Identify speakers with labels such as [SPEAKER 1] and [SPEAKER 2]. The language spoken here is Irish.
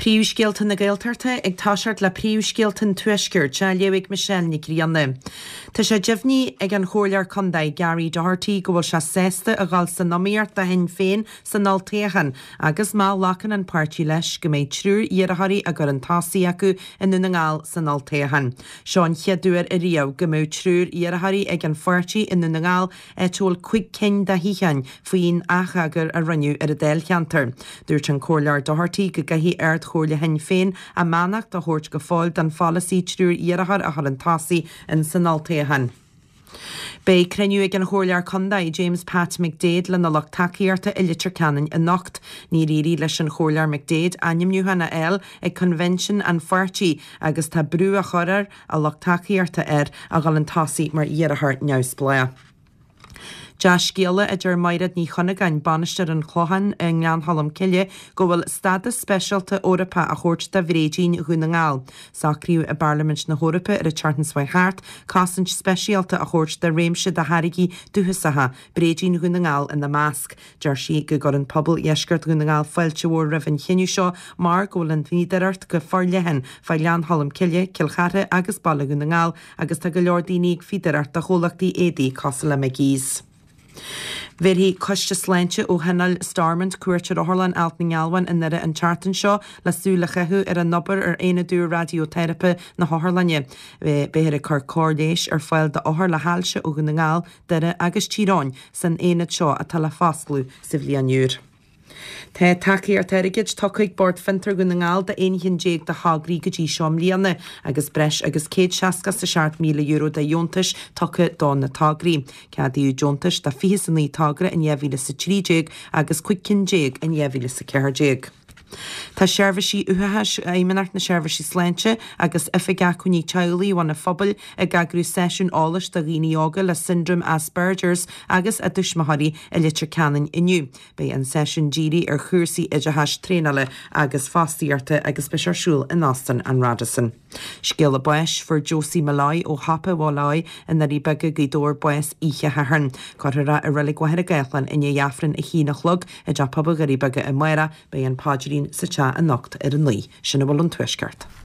[SPEAKER 1] Príomhscéalta na Gaeltachta ag toiseacht le príomhscéalta an Tuaiscirt á léamh ag Michelle Nic Grianna. Tá sé deimhnithe ag an Chomhairleoir Contae Gary Doherty go bhfuil sé sásta a dhul san iomaíocht do Shinn Féin san olltoghchán agus má ghlacann an páirtí leis go mbeidh triúr iarrthóirí á gcur chun tosaigh acu i nDún na nGall san olltoghchán. Seo an chéad uair ariamh go mbeadh triúr iarrthóirí ag an pháirtí i nDún na nGall áit a bhfuil 5 cinn de shuíocháin faoin atheagar a rinneadh ar an dáilcheantar. Dúirt an Comhairleoir Doherty go gcaithfidh Ard-Chomhairle Shinn Féin a mbeannacht a thabhairt go fóill don pholasaí triúr iarrthóir a chur chun tosaigh in san olltoghchán. Beidh cruinniú ag an Chomhairleoir Contae, James Pat McDaid lena lucht tacaíochta i Leitir Ceanainn anocht. Níor éirigh leis an Chomhairleoir McDaid ainmniúchán a fháil ag coinbhinsean an pháirtí agus tá brú á chur ar a lucht tacaíochta air a dhul chun tosaigh mar iarrthóir neamhspleách. Dea-scéala, a deir Maighread Ní Chunagáin, Bainisteoir an Chlocháin i nGleann Cholm Cille, go bhfuil stádas speisialta Eorpach á thabhairt do bhréidín Dhún na nGall. Socraíodh i bParlaimint na hEorpa ar an tseachtain seo thart cosaint speisialta a thabhairt do réimse de tháirgí dúchasacha, bréidín Dhún na nGall ina measc. Deir sí go gcuireann pobal dheisceart Dhún na nGall fáilte mhór roimh an chinneadh seo mar go bhfuil an fhíodóireacht go forleathan fá Ghleann Cholm Cille, Cill Chartha agus Baile Dhún na nGall agus tá go leor daoine ag fíodóireacht do chomhlachtaí éadaí cosúil le McGee's. Bhéarfaidh Coiste Sláinte ó Thionól Stormont cuairt ar Otharlann Ailt na nGealbhán i nDoire an tseachtain seo le súil a chaitheamh ar an obair ar aonad úr raidióiteiripe na hotharlainne. Beifear ag cur cóir leighis ar fáil d'othair le hailse ó Dhún na nGall, Doire agus Tír Eoghain san aonad seo atá le foscladh sa bhliain úr. Tá tacaíocht airgid tugtha ag Bord Fiontar Dhún na nGall do 11 cheann de thograí go dtí seo i mbliana agus breis agus €167,000 de dheontais tugtha do na tograí. Ceadaíodh deontais do 29 togra in 2013 agus 15 cinn in 2014. Tá Seirbhísí Uathachais Fheidhmeannacht na Seirbhísí Sláinte agus Oifig Acmhainní Teaghlaigh Bhun an Phobail ag eagrú seisiún eolais do dhaoine óga le Siondróm Asperger's agus a dtuismitheoirí i Leitir Ceanainn inniu. Beidh an seisiún dírithe ar chúrsaí oideachais, traenála agus fostaíochta agus beidh sé ar siúl in Óstán an Radisson. Scéala báis, Fuair Josie Molloy ó Shiopa Mholloy i nDoirí Beaga, Gaoth Dobhair bás oíche Shathairn. Cuirfear í i Reilig Mhachaire Gathlán i ndiaidh Aifreann 1 a chlog i dTeach Pobail Dhoirí Beaga amárach. Beidh an paidrín sa teach anocht ar a 9. Sin a bhfuil ón Tuaisceart.